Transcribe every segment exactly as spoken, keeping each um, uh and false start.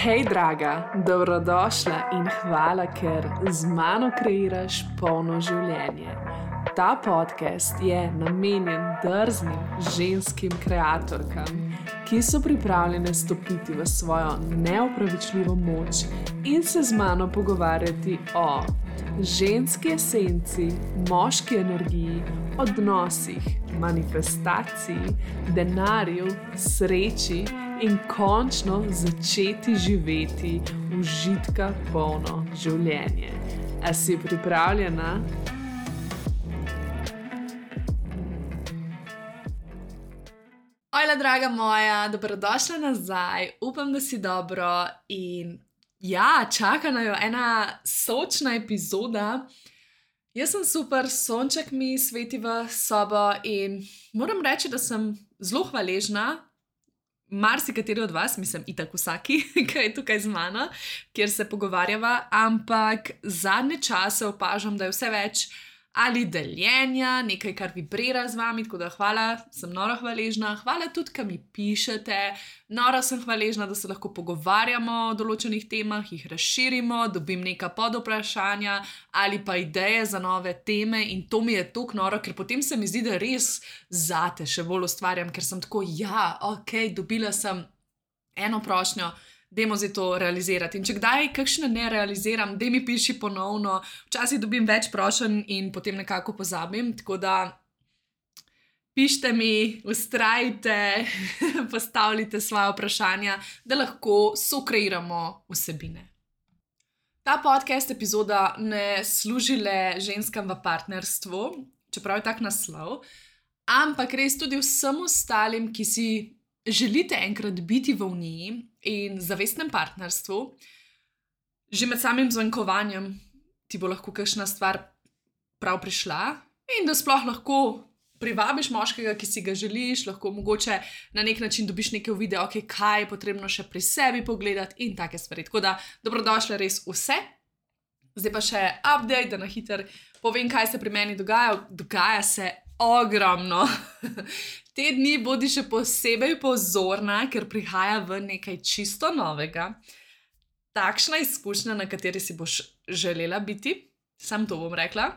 Hej, draga, dobrodošla in hvala, ker z mano kreiraš polno življenje. Ta podcast je namenjen drznim ženskim kreatorkam, ki so pripravljene stopiti v svojo neopravičljivo moč in se z mano pogovarjati o ženski esenci, moški energiji, odnosih, manifestaciji, denarju, sreči in končno začeti živeti užitka polno življenje. A si pripravljena? Ojla, draga moja, dobrodošla nazaj. Upam, da si dobro in ja, čaka najo ena sočna epizoda. Jaz sem super, sonček mi sveti v sobo in moram reči, da sem zelo hvaležna marsikateri od vas, mislim itak vsaki, ki je tukaj z mano, kjer se pogovarjava, ampak zadnje čase opažam, da je vse več ali deljenja, nekaj, kar vibrira z vami, tako da hvala, sem noro hvaležna. Hvala tudi, ki mi pišete, noro sem hvaležna, da se lahko pogovarjamo o določenih temah, jih razširimo, dobim neka podvprašanja ali pa ideje za nove teme in to mi je toliko noro, ker potem se mi zdi, da res zate še bolj ustvarjam, ker sem tako, ja, ok, dobila sem eno prošnjo, dajmo zdaj to realizirati. In če kdaj kakšne ne realiziram, daj mi piši ponovno. Včasih dobim več prošenj in potem nekako pozabim, tako da pišite mi, vztrajte, postavljite svoje vprašanja, da lahko sokreiramo vsebine. Ta podcast epizoda ne služi le ženskam v partnerstvu, čeprav je tak naslov, ampak res tudi vsem ostalim, ki si želite enkrat biti v uniji in zavestnem partnerstvu, že med samim zvankovanjem ti bo lahko kakšna stvar prav prišla in da sploh lahko privabiš moškega, ki si ga želiš, lahko mogoče na nek način dobiš neke uvide, ok, kaj je potrebno še pri sebi pogledati in take stvari. Tako da dobrodošle res vse. Zdaj pa še update, da na hiter povem, kaj se pri meni dogaja. Dogaja se ogromno. Te dni bodi še posebej pozorna, ker prihaja v nekaj čisto novega. Takšna izkušnja, na kateri si boš želela biti, sam to bom rekla.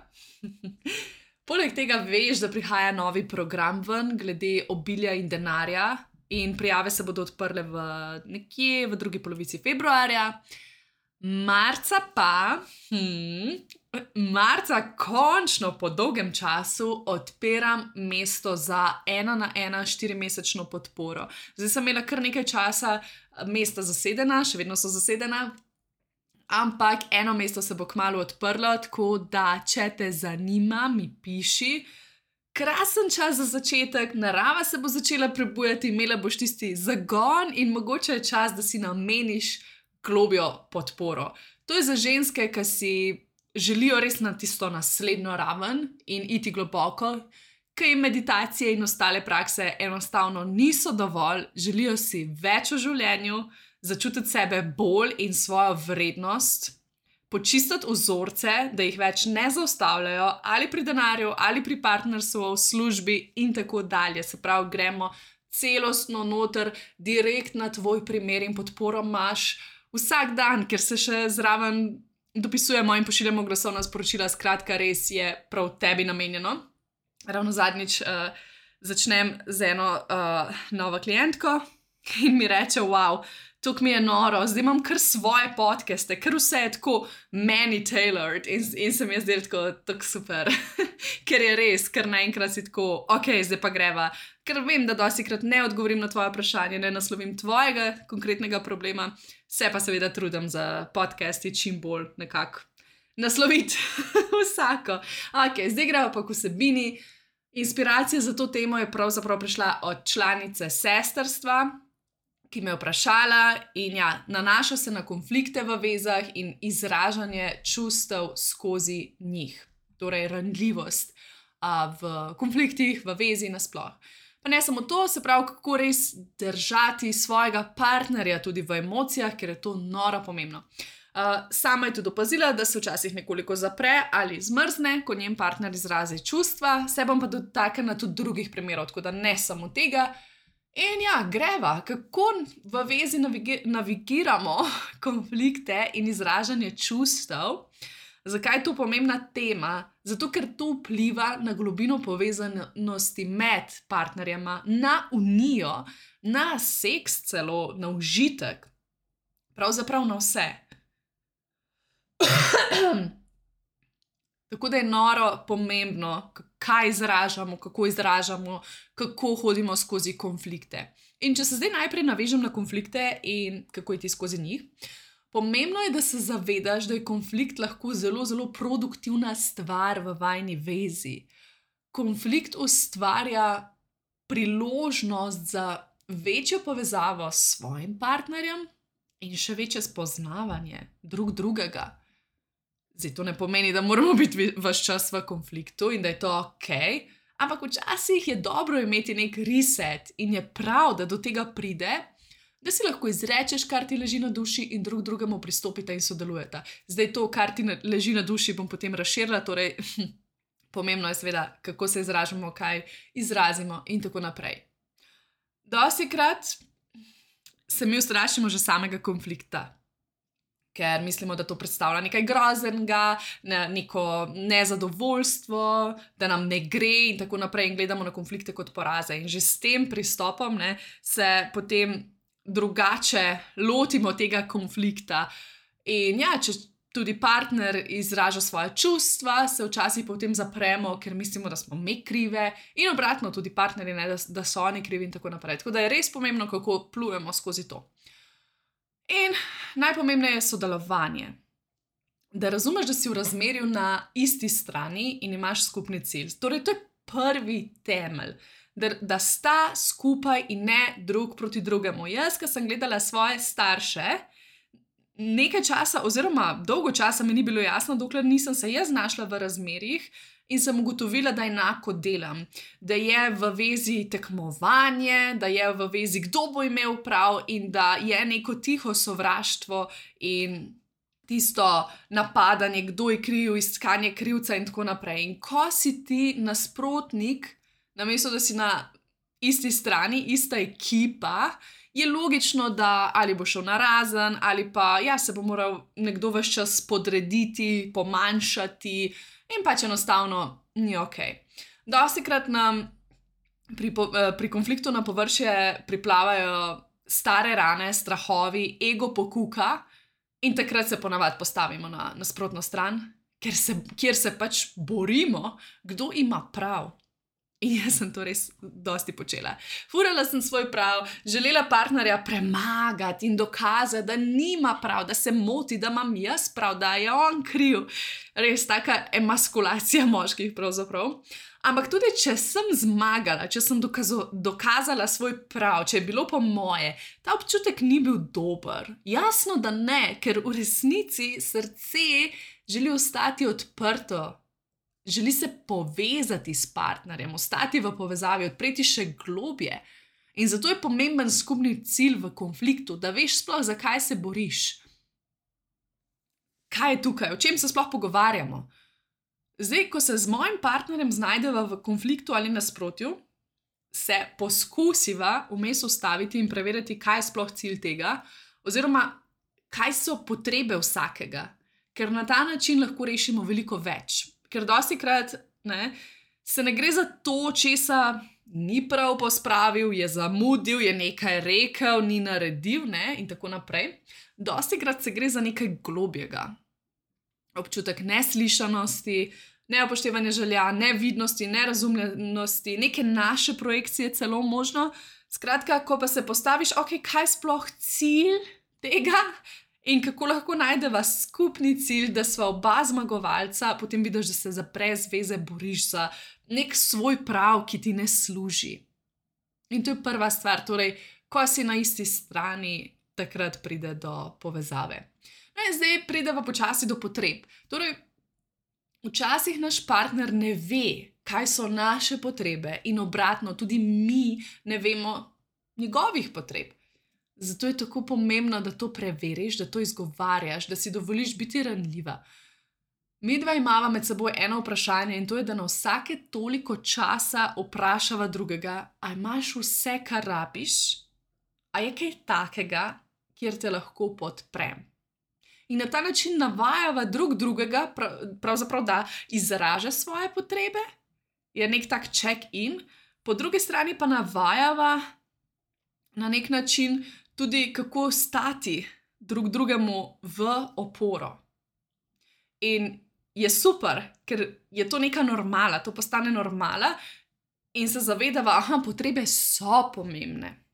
Poleg tega veš, da prihaja novi program ven glede obilja in denarja in prijave se bodo odprle v nekje v drugi polovici februarja. Marca pa, hm, marca končno po dolgem času odpiram mesto za ena na ena štirimesečno podporo. Zdaj sem imela kar nekaj časa mesta zasedena, še vedno so zasedena, ampak eno mesto se bo kmalu odprlo, tako da če te zanima, mi piši. Krasen čas za začetek, narava se bo začela prebujati, imela boš tisti zagon in mogoče je čas, da si nameniš globjo podporo. To je za ženske, ki si želijo res na tisto naslednjo raven in iti globoko, ki jim meditacije in ostale prakse enostavno niso dovolj, želijo si več v življenju, začutiti sebe bolj in svojo vrednost, počistiti vzorce, da jih več ne zaustavljajo ali pri denarju, ali pri partnerstvu, v službi in tako dalje. Se pravi, gremo celostno noter, direkt na tvoj primer in podporo imaš vsak dan, ker se še zraven dopisujemo in pošiljamo glasovna sporočila, skratka res je prav tebi namenjeno. Ravno zadnjič uh, začnem z eno uh, novo klientko in mi reče, wow, tok mi je noro, zdaj imam kar svoje podcaste, kar vse je tako meni tailored in, in se mi je zdelo tako, tako super, ker je res, ker naenkrat si tako, ok, zdaj pa greva, ker vem, da dostikrat ne odgovorim na tvoje vprašanje, ne naslovim tvojega konkretnega problema, se pa seveda trudim za podcasti čim bolj nekako nasloviti vsako. Ok, zdaj greva pa k vsebini. Inspiracija za to temo je pravzaprav prišla od članice sestrstva, ki me je vprašala in ja, nanaša se na konflikte v vezah in izražanje čustev skozi njih. Torej, ranljivost a, v konfliktih, v vezi nasploh. Pa ne samo to, se pravi, kako res držati svojega partnerja tudi v emocijah, ker je to noro pomembno. Uh, sama je tudi opazila, da se včasih nekoliko zapre ali zmrzne, ko njen partner izrazi čustva, se bom pa dotaknila tudi drugih primerov, tako da ne samo tega. In ja, greva, kako v vezi navigi- navigiramo konflikte in izražanje čustev. Zakaj je to pomembna tema? Zato, ker to vpliva na globino povezanosti med partnerjema, na unijo, na seks celo, na užitek, pravzaprav na vse. Tako da je noro pomembno, kaj izražamo, kako izražamo, kako hodimo skozi konflikte. In če se zdaj najprej navežem na konflikte in kako iti skozi njih, pomembno je, da se zavedaš, da je konflikt lahko zelo, zelo produktivna stvar v vajni vezi. Konflikt ustvarja priložnost za večjo povezavo s svojim partnerjem in še večje spoznavanje drug drugega. Zdaj, to ne pomeni, da moramo biti ves čas v konfliktu in da je to ok, ampak včasih je dobro imeti nek reset in je prav, da do tega pride, da si lahko izrečeš, kar ti leži na duši in drug drugemu pristopite in sodelujete. Zdaj, to, kar ti leži na duši, bom potem razširila, torej pomembno je seveda, kako se izražamo, kaj izrazimo in tako naprej. Dostikrat se mi ustrašimo že samega konflikta, ker mislimo, da to predstavlja nekaj groznega, ne, neko nezadovoljstvo, da nam ne gre in tako naprej in gledamo na konflikte kot poraze. In že s tem pristopom ne, se potem drugače lotimo tega konflikta. In ja, če tudi partner izraža svoje čustva, se včasih potem zapremo, ker mislimo, da smo mi krive in obratno tudi partnerji, ne, da, da so oni krivi in tako naprej. Tako da je res pomembno, kako plujemo skozi to. In najpomembneje je sodelovanje. Da razumeš, da si v razmerju na isti strani in imaš skupni cilj. Torej, to je prvi temelj, da, da sta skupaj in ne drug proti drugemu. Jaz, ko sem gledala svoje starše, nekaj časa oziroma dolgo časa mi ni bilo jasno, dokler nisem se jaz znašla v razmerjih in sem ugotovila, da enako delam. Da je v vezi tekmovanje, da je v vezi kdo bo imel prav in da je neko tiho sovraštvo in tisto napadanje, kdo je kriv, iskanje krivca in tako naprej. In ko si ti nasprotnik, namesto da si na isti strani, ista ekipa, je logično, da ali bo šel narazen, ali pa ja, se bo moral nekdo ves čas podrediti, pomanjšati in pač enostavno ni ok. Dostikrat nam pri, pri konfliktu na površje priplavajo stare rane, strahovi, ego pokuka in takrat se ponavadi postavimo na nasprotno stran, ker se, kjer se pač borimo, kdo ima prav. In jaz sem to res dosti počela. Furala sem svoj prav, želela partnerja premagati in dokazati, da nima prav, da se moti, da imam jaz prav, da je on kriv. Res taka emaskulacija moških pravzaprav. Ampak tudi, če sem zmagala, če sem dokazo, dokazala svoj prav, če je bilo po moje, ta občutek ni bil dober. Jasno, da ne, ker v resnici srce želi ostati odprto. Želi se povezati s partnerjem, ostati v povezavi, odpreti še globje. In zato je pomemben skupni cilj v konfliktu, da veš sploh, zakaj se boriš. Kaj je tukaj, o čem se sploh pogovarjamo? Zdaj, ko se z mojim partnerjem znajdeva v konfliktu ali nasprotju, se poskusiva vmes ustaviti in preveriti, kaj je sploh cilj tega, oziroma kaj so potrebe vsakega, ker na ta način lahko rešimo veliko več. Ker dostikrat ne, se ne gre za to, česa ni prav pospravil, je zamudil, je nekaj rekel, ni naredil ne, in tako naprej. Dostikrat se gre za nekaj globjega. Občutek neslišanosti, neupoštevanje želja, nevidnosti, nerazumljenosti, neke naše projekcije celo možno. Skratka, ko pa se postaviš, ok, kaj je sploh cilj tega? In kako lahko najdeva skupni cilj, da sva oba zmagovalca, potem vidiš, da se za brez veze boriš za nek svoj prav, ki ti ne služi. In to je prva stvar, torej, ko si na isti strani, takrat pride do povezave. No in zdaj prideva počasi do potreb. Torej, včasih naš partner ne ve, kaj so naše potrebe in obratno, tudi mi ne vemo njegovih potreb. Zato je tako pomembno, da to preveriš, da to izgovarjaš, da si dovoliš biti ranljiva. Midva imava med seboj eno vprašanje in to je, da na vsake toliko časa vprašava drugega, a imaš vse, kar rabiš, a je kaj takega, kjer te lahko podprem. In na ta način navajava drug drugega, pravzaprav da izraža svoje potrebe, je nek tak check-in, po drugi strani pa navajava na nek način tudi, kako stati drug drugemu v oporo. In je super, ker je to neka normala, to postane normala in se zavedava, aha, potrebe so pomembne.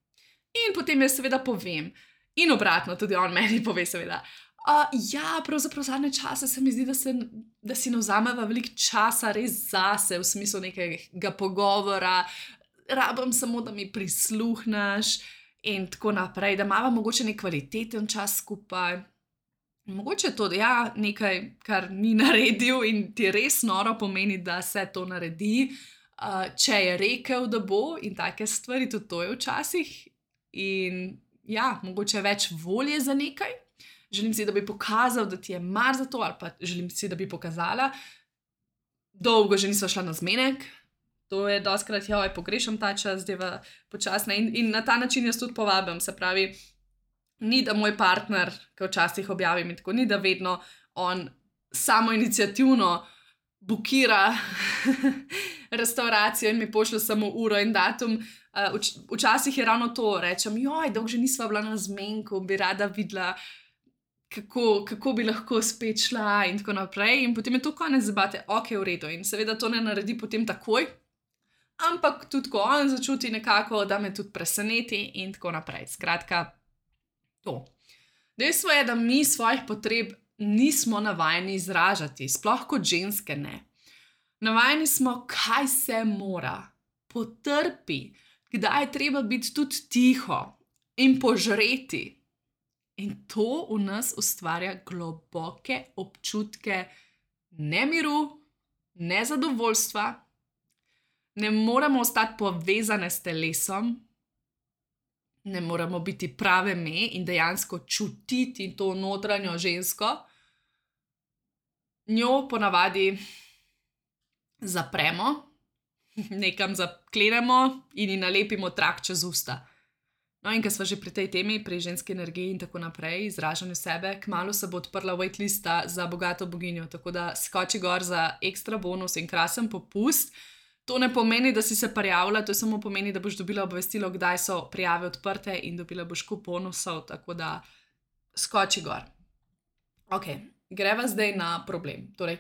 In potem jaz seveda povem, in obratno, tudi on meni pove seveda, uh, ja, pravzaprav zadnje čase se mi zdi, da, se, da si ne vzameva veliko časa res zase, v smislu nekega pogovora, rabim samo, da mi prisluhneš in tako naprej, da imava mogoče nek kvaliteten čas skupaj. Mogoče je to ja, nekaj, kar ni naredil in ti res noro pomeni, da se to naredi, uh, če je rekel, da bo in take stvari, tudi to je včasih. In ja, mogoče je več volje za nekaj. Želim si, da bi pokazal, da ti je mar za to, ali pa želim si, da bi pokazala. Dolgo že nisva šla na zmenek, to je dostikrat, joj, pogrešam ta čas, zdaj počasne in, in na ta način jaz tudi povabim, se pravi, ni da moj partner, ki včasih objavim in tako, ni da vedno on samo iniciativno bukira restauracijo in mi pošlje samo uro in datum. Vč- včasih je ravno to, rečem, joj, dolgo že nisva bila na zmenku, bi rada videla, kako, kako bi lahko spet šla in tako naprej. In potem je to konec debate, ok, v redu. In seveda to ne naredi potem takoj, ampak tudi ko on začuti nekako, da me tudi preseneti in tako naprej. Skratka, to. Dejstvo je, da mi svojih potreb nismo navajeni izražati, sploh kot ženske ne. Navajeni smo, kaj se mora, potrpi, kdaj je treba biti tudi tiho in požreti. In to v nas ustvarja globoke občutke nemiru, nezadovoljstva, ne moremo ostati povezane s telesom, ne moremo biti prave me in dejansko čutiti to notranjo žensko. Njo ponavadi zapremo, nekam zaklenemo in ji nalepimo trak čez usta. No, in ker sva že pri tej temi, pri ženski energiji in tako naprej, izražanju sebe, kmalu se bo odprla waitlista za bogato boginjo, tako da skoči gor za ekstra bonus in krasen popust. To ne pomeni, da si se prijavila, to samo pomeni, da boš dobila obvestilo, kdaj so prijave odprte in dobila boš kup bonusov, tako da skoči gor. Ok, greva zdaj na problem. Torej,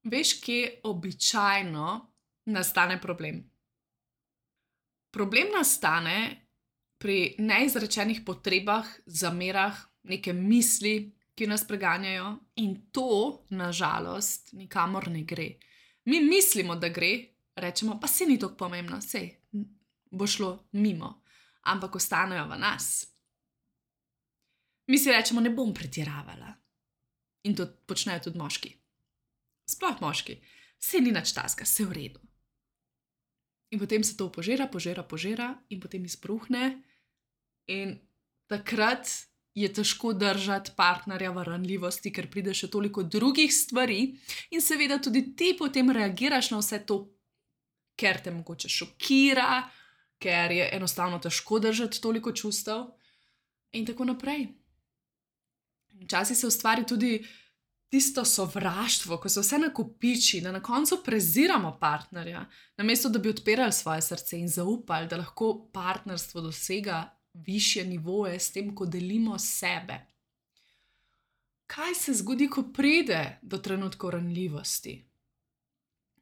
veš, kje običajno nastane problem? Problem nastane pri neizrečenih potrebah, zamerah, neke misli, ki nas preganjajo in to, na žalost, nikamor ne gre. Mi mislimo, da gre, rečemo, pa se ni tako pomembno, sej bo šlo mimo, ampak ostanejo v nas. Mi si rečemo, ne bom pretiravala. In to počnejo tudi moški. Sploh moški. Sej ni nič taska, sej v redu. In potem se to požira, požira, požira in potem izbruhne in takrat je težko držati partnerja v ranljivosti, ker pride še toliko drugih stvari in seveda tudi ti potem reagiraš na vse to, ker te mogoče šokira, ker je enostavno težko držati toliko čustev in tako naprej. Včasih se ustvari tudi tisto sovraštvo, ko se vse nakopiči, da na koncu preziramo partnerja, namesto da bi odpirali svoje srce in zaupali, da lahko partnerstvo dosega višje nivoje s tem, ko delimo sebe. Kaj se zgodi, ko pride do trenutkov ranljivosti?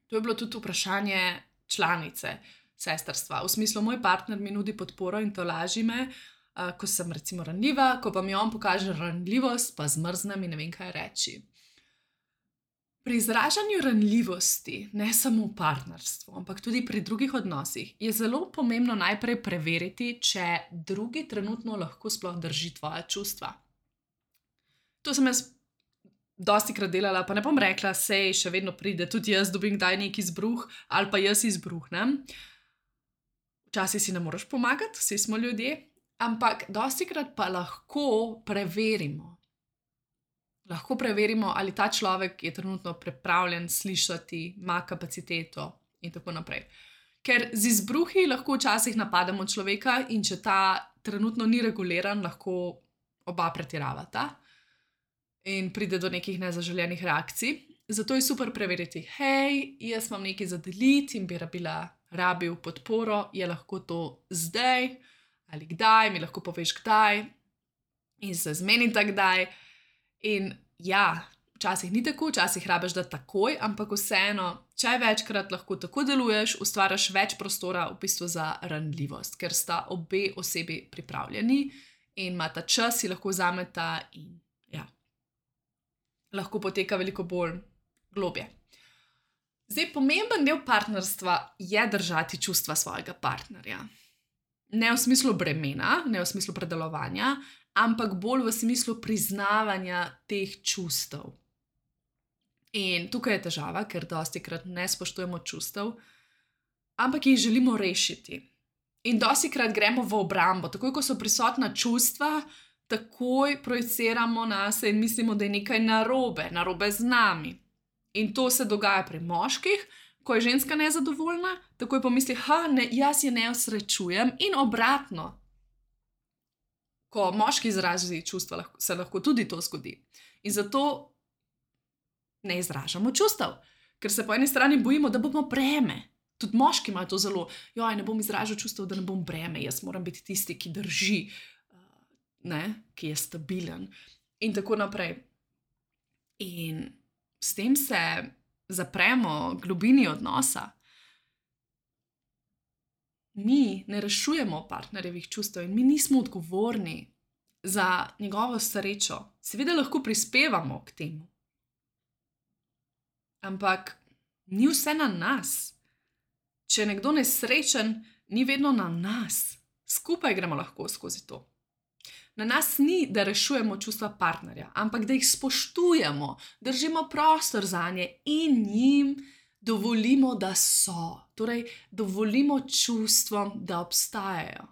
To je bilo tudi vprašanje članice sestrstva. V smislu, moj partner mi nudi podporo in tolaži me, uh, ko sem recimo ranljiva, ko pa mi on pokaže ranljivost, pa zmrznem in ne vem, kaj reči. Pri izražanju ranljivosti, ne samo v partnerstvu, ampak tudi pri drugih odnosih, je zelo pomembno najprej preveriti, če drugi trenutno lahko sploh drži tvoja čustva. To sem jaz dostikrat delala, pa ne bom rekla, sej še vedno pride, tudi jaz dobim kdaj neki izbruh ali pa jaz izbruhnem. Včasih si ne moreš pomagati, vsi smo ljudje, ampak dostikrat pa lahko preverimo. lahko preverimo, ali ta človek je trenutno pripravljen slišati, ima kapaciteto in tako naprej. Ker z izbruhi lahko včasih napademo človeka in če ta trenutno ni reguliran, lahko oba pretiravata in pride do nekih nezaželenih reakcij. Zato je super preveriti, hej, jaz imam nekaj za deliti in bi rabila, rabil podporo, je lahko to zdaj ali kdaj, mi lahko poveš kdaj in se zmenita kdaj. In ja, včasih ni tako, včasih rabiš da takoj, ampak vseeno, če večkrat lahko tako deluješ, ustvariš več prostora v bistvu za ranljivost, ker sta obe osebi pripravljeni in imata čas, si lahko vzameta in ja, lahko poteka veliko bolj globje. Zdaj, pomemben del partnerstva je držati čustva svojega partnerja. Ne v smislu bremena, ne v smislu predelovanja, ampak bolj v smislu priznavanja teh čustev. In tukaj je težava, ker dostikrat ne spoštujemo čustev, ampak jih želimo rešiti. In dostikrat gremo v obrambo, takoj ko so prisotna čustva, takoj projiciramo nas in mislimo, da je nekaj narobe, narobe z nami. In to se dogaja pri moških, ko je ženska nezadovoljna, takoj pomisli, ha, ne, jaz je ne osrečujem in obratno. Ko moški izrazi čustva, se lahko tudi to zgodi. In zato ne izražamo čustev, ker se po eni strani bojimo, da bomo breme. Tudi moški imajo to zelo, joj, ne bom izražal čustev, da ne bom breme, jaz moram biti tisti, ki drži, ne, ki je stabilen in tako naprej. In s tem se zapremo globini odnosa. Mi ne rešujemo partnerjevih čustev in mi nismo odgovorni za njegovo srečo. Seveda lahko prispevamo k temu. Ampak ni vse na nas. Če je nekdo nesrečen, ni vedno na nas. Skupaj gremo lahko skozi to. Na nas ni, da rešujemo čustva partnerja, ampak da jih spoštujemo, držimo prostor zanje in jim dovolimo, da so. Torej, dovolimo čustvom, da obstajajo.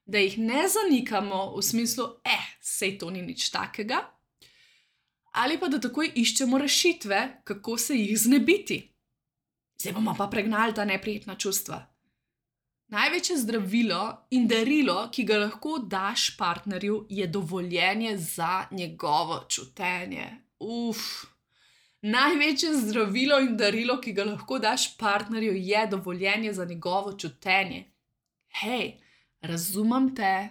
Da jih ne zanikamo v smislu, eh, sej to ni nič takega, ali pa da takoj iščemo rešitve, kako se jih znebiti. Zdaj bomo pa pregnali ta neprijetna čustva. Največje zdravilo in darilo, ki ga lahko daš partnerju, je dovoljenje za njegovo čutenje. Uf. Največje zdravilo in darilo, ki ga lahko daš partnerju, je dovoljenje za njegovo čutenje. Hej, razumem te,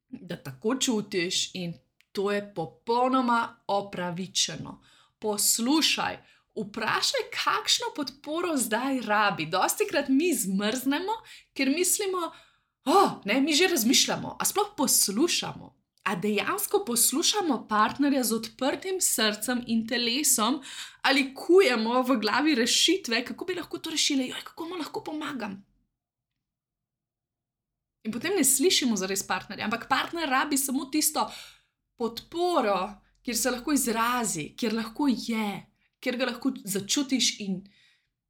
da tako čutiš in to je popolnoma opravičeno. Poslušaj, vprašaj, kakšno podporo zdaj rabi. Dostikrat mi zmrznemo, ker mislimo, oh, ne, mi že razmišljamo, a sploh poslušamo. A dejansko poslušamo partnerja z odprtim srcem in telesom ali kujemo v glavi rešitve, kako bi lahko to rešili, joj, kako mu lahko pomagam. In potem ne slišimo zares partnerja, ampak partner rabi samo tisto podporo, kjer se lahko izrazi, kjer lahko je, kjer ga lahko začutiš in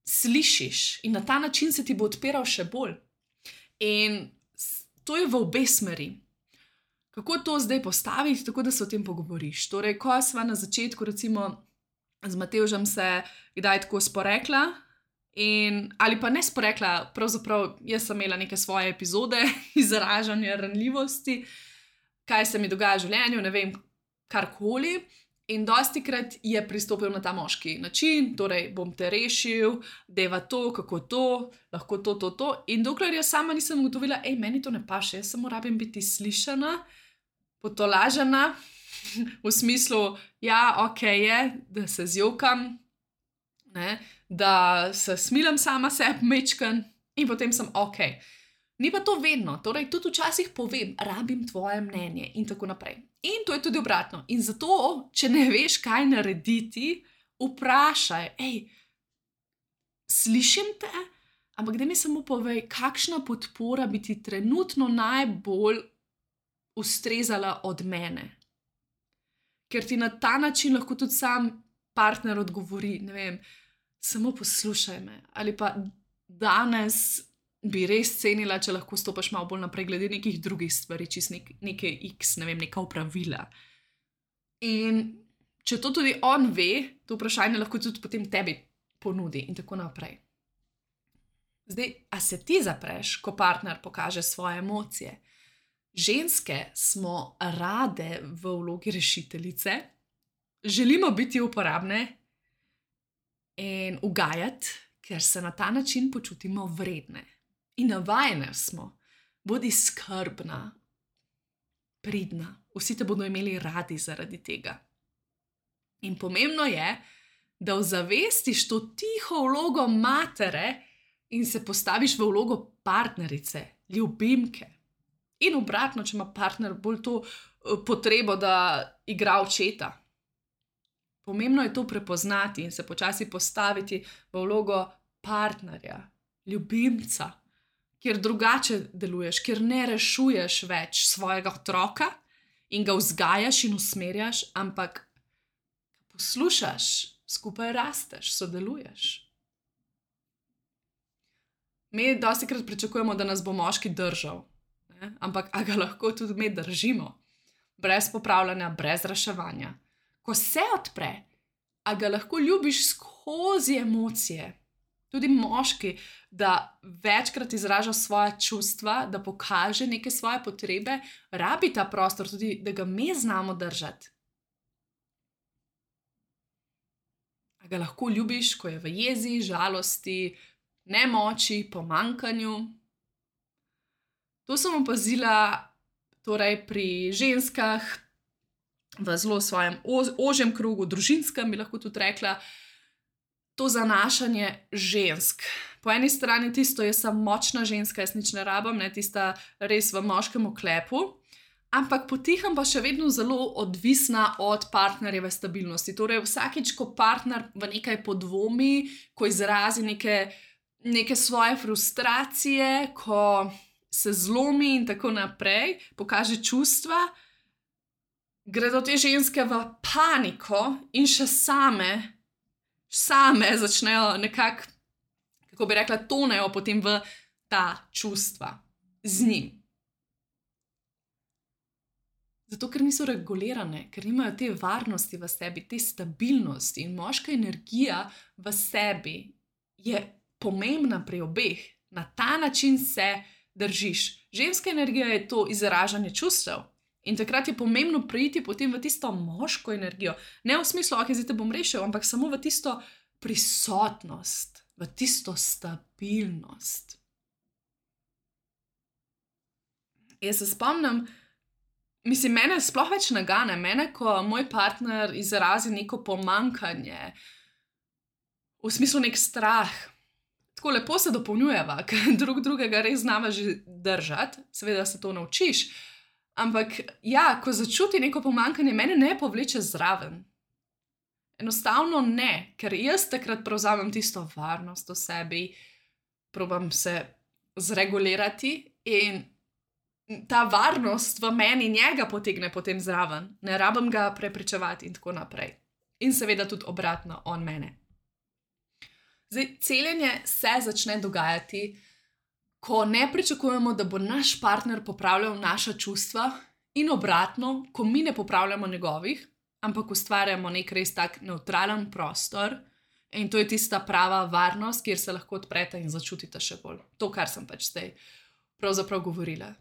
slišiš. In na ta način se ti bo odpiral še bolj. In to je v obe smeri. Kako to zdaj postaviti, tako da se o tem pogovoriš? Torej, ko sva na začetku, recimo, z Matevžem se kdaj tako sporekla, in, ali pa ne sporekla, pravzaprav jaz sem imela neke svoje epizode izražanja ranljivosti, kaj se mi dogaja v življenju, ne vem, karkoli. In dostikrat je pristopil na ta moški način, torej bom te rešil, deva to, kako to, lahko to, to, to. In dokler jaz sama nisem ugotovila, ej, meni to ne paše, jaz samo rabim biti slišana, potolažena, v smislu, ja, ok je, da se zjokam, ne, da se smilam sama sebi mečken in potem sem ok. Ni pa to vedno, torej tudi včasih povem, rabim tvoje mnenje in tako naprej. In to je tudi obratno. In zato, če ne veš, kaj narediti, vprašaj, ej, slišim te, ampak da mi samo povej, kakšna podpora bi ti trenutno najbolj ustrezala od mene. Ker ti na ta način lahko tudi sam partner odgovori, ne vem, samo poslušaj me, ali pa danes bi res cenila, če lahko stopaš malo bolj naprej glede nekih drugih stvari, čist nek, neke x, ne vem, neka opravila. In če to tudi on ve, to vprašanje lahko tudi potem tebi ponudi in tako naprej. Zdaj, a se ti zapreš, ko partner pokaže svoje emocije? Ženske smo rade v vlogi rešiteljice, želimo biti uporabne in ugajati, ker se na ta način počutimo vredne. In navajene smo, bodi skrbna, pridna, vsi te bodo imeli radi zaradi tega. In pomembno je, da ozavestiš to tiho vlogo matere in se postaviš v vlogo partnerice, ljubimke. In obratno, če ima partner bolj to potrebo, da igra očeta. Pomembno je to prepoznati in se počasi postaviti v vlogo partnerja, ljubimca, kjer drugače deluješ, kjer ne rešuješ več svojega otroka in ga vzgajaš in usmerjaš, ampak poslušaš, skupaj rasteš, sodeluješ. Mi dostikrat pričakujemo, da nas bo moški držal, ne? Ampak a ga lahko tudi mi držimo, brez popravljanja, brez reševanja. Ko se odpre, a ga lahko ljubiš skozi emocije. Tudi moški, da večkrat izraža svoja čustva, da pokaže neke svoje potrebe, rabi ta prostor tudi, da ga mi znamo držati. A ga lahko ljubiš, ko je v jezi, žalosti, nemoči, pomanjkanju. To sem opazila torej pri ženskah v zelo svojem ožjem krogu, družinskem bi lahko tudi rekla, to zanašanje žensk. Po eni strani tisto, jaz sem močna ženska, jaz nič ne rabim, ne, tista res v moškem oklepu, ampak potihem pa še vedno zelo odvisna od partnerjeve stabilnosti. Torej vsakič, ko partner v nekaj podvomi, ko izrazi neke, neke svoje frustracije, ko se zlomi in tako naprej, pokaže čustva, gredo te ženske v paniko in še same, same začnejo nekako, kako bi rekla, tonejo potem v ta čustva z njim. Zato, ker niso regulirane, ker nimajo te varnosti v sebi, te stabilnosti in moška energija v sebi je pomembna pri obeh. Na ta način se držiš. Ženska energija je to izražanje čustev. In takrat je pomembno priti potem v tisto moško energijo. Ne v smislu, ok, zdaj te bom rešil, ampak samo v tisto prisotnost, v tisto stabilnost. Jaz se spomnim, mislim, mene sploh več nagane, mene, ko moj partner izrazi neko pomanjkanje, v smislu nek strah. Tako lepo se dopolnjujeva, ker drug drugega res znava že držati, seveda se to naučiš. Ampak ja, ko začuti neko pomanjkanje, mene ne povleče zraven. Enostavno ne, ker jaz takrat prevzamem tisto varnost v sebi, probam se zregulirati in ta varnost v meni njega potegne potem zraven. Ne rabim ga prepričevati in tako naprej. In seveda tudi obratno, on mene. Zdaj, celjenje se začne dogajati, ko ne pričakujemo, da bo naš partner popravljal naša čustva in obratno, ko mi ne popravljamo njegovih, ampak ustvarjamo nek res tak nevtralen prostor in to je tista prava varnost, kjer se lahko odprete in začutite še bolj. To, kar sem pač zdaj pravzaprav govorila.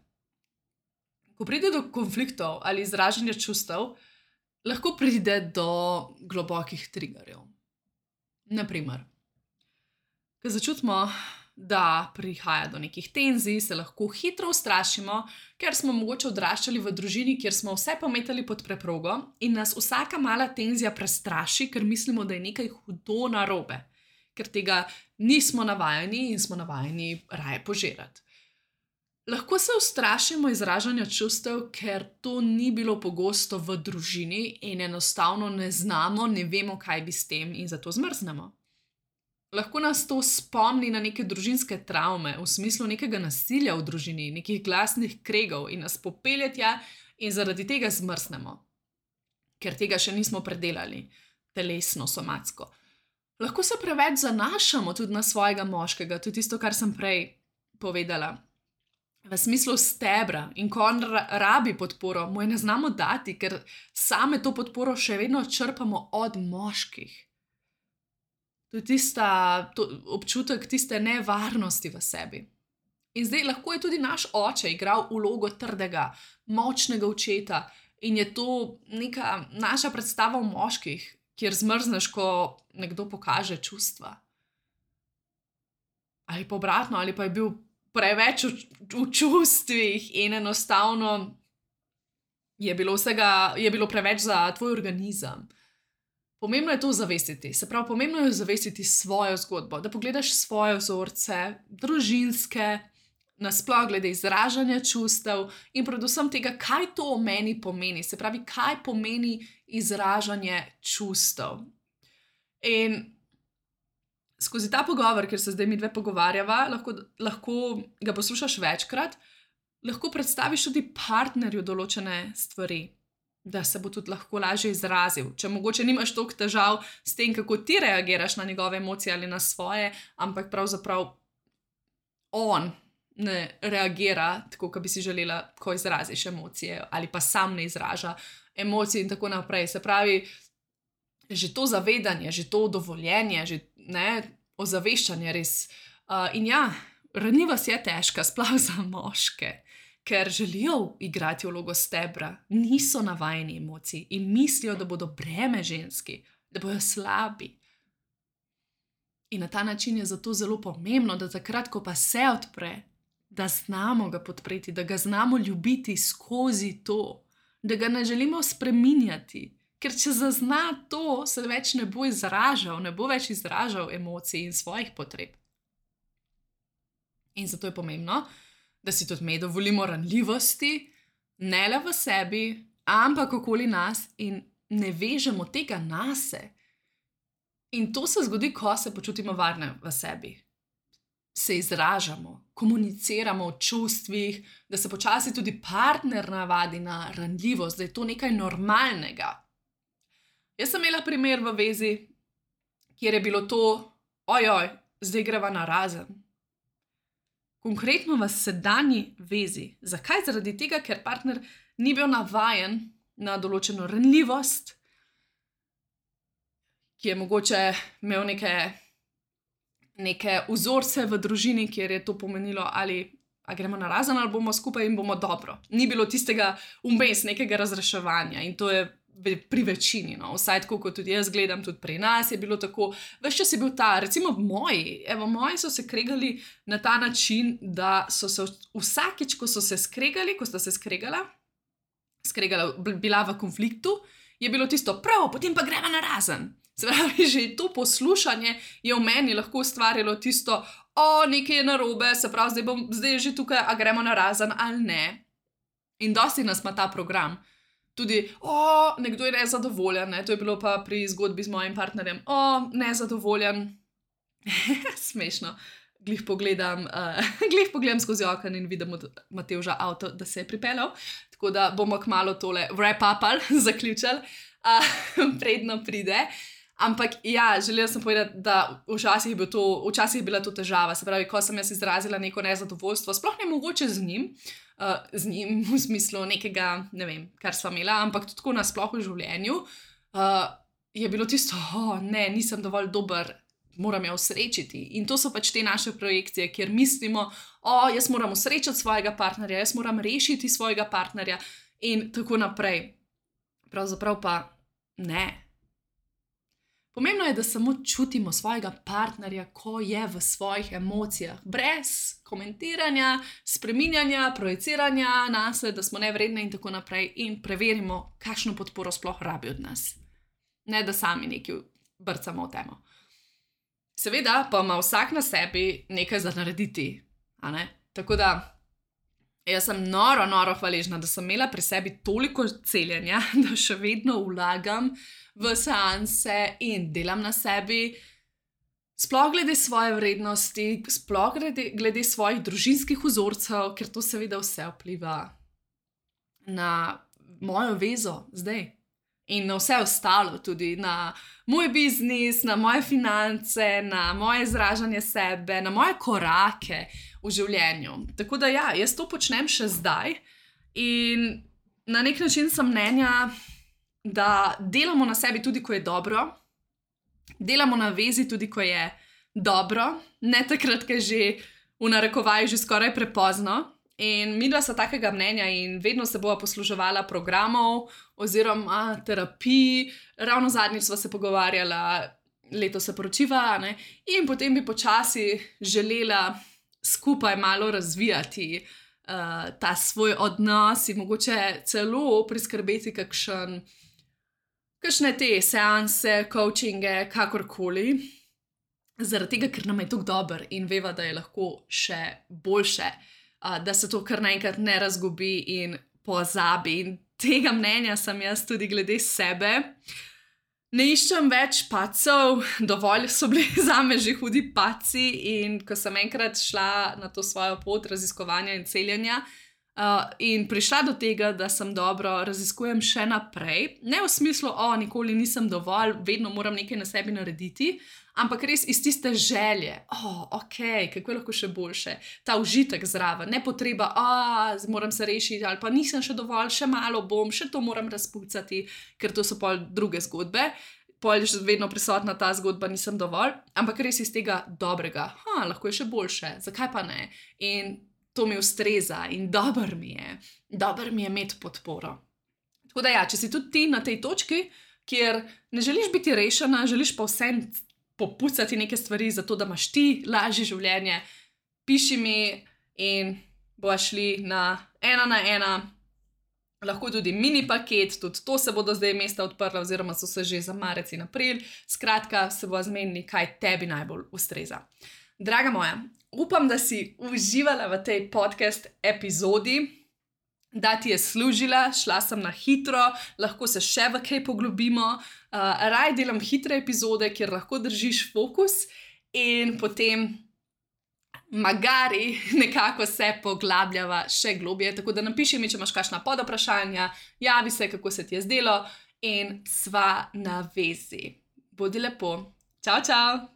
Ko pride do konfliktov ali izražanja čustev, lahko pride do globokih triggerjev. Naprimer, ko začutimo, da prihaja do nekih tenzij, se lahko hitro ustrašimo, ker smo mogoče odraščali v družini, kjer smo vse pometali pod preprogo in nas vsaka mala tenzija prestraši, ker mislimo, da je nekaj hudo narobe, ker tega nismo navajeni in smo navajeni raje požirati. Lahko se ustrašimo izražanja čustev, ker to ni bilo pogosto v družini in enostavno ne znamo, ne vemo, kaj bi s tem in zato zmrznemo. Lahko nas to spomni na neke družinske travme, v smislu nekega nasilja v družini, nekih glasnih kregov in nas popelje tja in zaradi tega zmrznemo, ker tega še nismo predelali, telesno, somatsko. Lahko se preveč zanašamo tudi na svojega moškega, tudi tisto, kar sem prej povedala. v smislu stebra, in ko on rabi podporo, mu je ne znamo dati, ker same to podporo še vedno črpamo od moških. To je tista, to občutek tiste nevarnosti v sebi. In zdaj lahko je tudi naš oče igral vlogo trdega, močnega očeta in je to neka naša predstava o moških, kjer zmrzneš, ko nekdo pokaže čustva. Ali pa obratno, ali pa je bil preveč v, v čustvih in enostavno je bilo vsega, je bilo preveč za tvoj organizem. Pomembno je to zavestiti, se pravi, pomembno je zavestiti svojo zgodbo, da pogledaš svoje vzorce, družinske, nasploh glede izražanja čustev in predvsem tega, kaj to o meni pomeni, se pravi, kaj pomeni izražanje čustev. In skozi ta pogovor, ker se zdaj mi dve pogovarjava, lahko, lahko ga poslušaš večkrat, lahko predstaviš tudi partnerju določene stvari, da se bo tudi lahko lažje izrazil. Če mogoče nimaš toliko težav s tem, kako ti reagiraš na njegove emocije ali na svoje, ampak pravzaprav on ne reagira tako, kot bi si želela, ko izraziš emocije, ali pa sam ne izraža emocije in tako naprej. Se pravi, že to zavedanje, že to dovoljenje, že ne, ozaveščanje res. Uh, in ja, ranljivost je težka, sploh za moške, ker želijo igrati vlogo stebra, niso navajeni emocij in mislijo, da bodo breme ženski, da bodo slabi. In na ta način je zato zelo pomembno, da takrat, ko pa se odpre, da znamo ga podpreti, da ga znamo ljubiti skozi to, da ga ne želimo spreminjati. Ker če zazna to, se več ne bo izražal, ne bo več izražal emocij in svojih potreb. In zato je pomembno, da si tudi mi dovolimo ranljivosti, ne le v sebi, ampak okoli nas in ne vežemo tega nase. In to se zgodi, ko se počutimo varne v sebi. Se izražamo, komuniciramo o čustvih, da se počasi tudi partner navadi na ranljivost, da je to nekaj normalnega. Jaz sem imela primer v vezi, kjer je bilo to, ojoj, zdaj greva narazen. Konkretno v sedanji vezi. Zakaj? Zaradi tega, ker partner ni bil navajen na določeno ranljivost, ki je mogoče imel neke, neke vzorce v družini, kjer je to pomenilo, ali a gremo narazen, ali bomo skupaj in bomo dobro. Ni bilo tistega vmes nekega razreševanja in to je pri večini, no, vsaj tako, kot tudi jaz gledam, tudi pri nas je bilo tako, ves čas je bil ta, recimo moji, evo, moji so se kregali na ta način, da so se vsakič, ko so se skregali, ko sta se skregala, skregala, bila v konfliktu, je bilo tisto prav, potem pa greva narazen. Se pravi, že to poslušanje je v meni lahko ustvarilo tisto, o, nekaj je narobe, se pravi, zdaj, bom, zdaj je že tukaj, a gremo narazen ali ne. In dosti nas ima ta program. Tudi, o, nekdo je nezadovoljen, ne? To je bilo pa pri zgodbi z mojim partnerjem, o, nezadovoljen, smešno, glih pogledam, uh, glih pogledam skozi okno in vidim od Matevža avto, da se je pripeljal, tako da bomo kmalu tole wrap-upali, zaključili, uh, predno pride. Ampak ja, želela sem povedati, da včasih je, bil to, včasih je bila to težava, se pravi, ko sem jaz izrazila neko nezadovoljstvo, sploh ne mogoče z njim, uh, z njim v smislu nekega, ne vem, kar sva imela, ampak tudi tako nasploh v življenju, uh, je bilo tisto, oh, ne, nisem dovolj dober, moram jo osrečiti. In to so pač te naše projekcije, kjer mislimo, o, oh, jaz moram osrečiti svojega partnerja, jaz moram rešiti svojega partnerja in tako naprej. Pravzaprav pa ne. Pomembno je, da samo čutimo svojega partnerja, ko je v svojih emocijah, brez komentiranja, spreminjanja, projiciranja nase, da smo nevredni in tako naprej in preverimo, kakšno podporo sploh rabi od nas. Ne, da sami nekaj brcamo v temo. Seveda pa ima vsak na sebi nekaj za narediti, a ne? Tako da jaz sem noro, noro hvaležna, da sem imela pri sebi toliko celjenja, da še vedno vlagam v seanse in delam na sebi, sploh glede svoje vrednosti, sploh glede, glede svojih družinskih vzorcev, ker to seveda vse vpliva na mojo vezo zdaj. in na vse ostalo, tudi na moj biznis, na moje finance, na moje izražanje sebe, na moje korake v življenju. Tako da ja, jaz to počnem še zdaj in na nek način sem mnenja, da delamo na sebi tudi, ko je dobro, delamo na vezi tudi, ko je dobro, ne takrat, ko je že v narekovaju že skoraj prepozno. In midva sta takega mnenja in vedno se bova posluževala programov oziroma terapij. Ravno zadnjič sva se pogovarjala, letos se poročiva, ne? In potem bi počasi želela skupaj malo razvijati uh, ta svoj odnos in mogoče celo priskrbeti kakšen, kakšne te seanse, coachinge, kakorkoli. Zaradi tega, ker nam je tako dober in veva, da je lahko še boljše. Uh, da se to kar naenkrat ne razgubi in pozabi. In tega mnenja sem jaz tudi glede sebe. Ne iščem več padcev, dovolj so bili zame že hudi padci in ko sem enkrat šla na to svojo pot raziskovanja in celjenja uh, in prišla do tega, da sem dobro, raziskujem še naprej. Ne v smislu, o, nikoli nisem dovolj, vedno moram nekaj na sebi narediti, ampak res iz tiste želje, o, ok, kako je lahko še boljše, ta užitek zraven, ne potreba, o, moram se rešiti, ali pa nisem še dovolj, še malo bom, še to moram razpucati, ker to so pol druge zgodbe, pol je vedno prisotna ta zgodba, nisem dovolj, ampak res iz tega dobrega, ha, lahko je še boljše, zakaj pa ne? In to mi ustreza in dober mi je, dober mi je imeti podporo. Tako da ja, če si tudi ti na tej točki, kjer ne želiš biti rešena, želiš pa vsem popucati neke stvari, zato da imaš ti lažje življenje, piši mi in bova šli na ena na ena, lahko tudi mini paket, tudi to se bodo zdaj mesta odprla, oziroma so se že za marec in april, skratka se bova zmenili, kaj tebi najbolj ustreza. Draga moja, upam, da si uživala v tej podcast epizodi, da ti je služila, šla sem na hitro, lahko se še v kaj poglobimo, uh, raj delam hitre epizode, kjer lahko držiš fokus in potem magari nekako se poglabljava še globje, tako da napiši mi, če imaš kakšna podoprašanja, javi se, kako se ti je zdelo in sva na vezi. Bodi lepo. Čau, čau!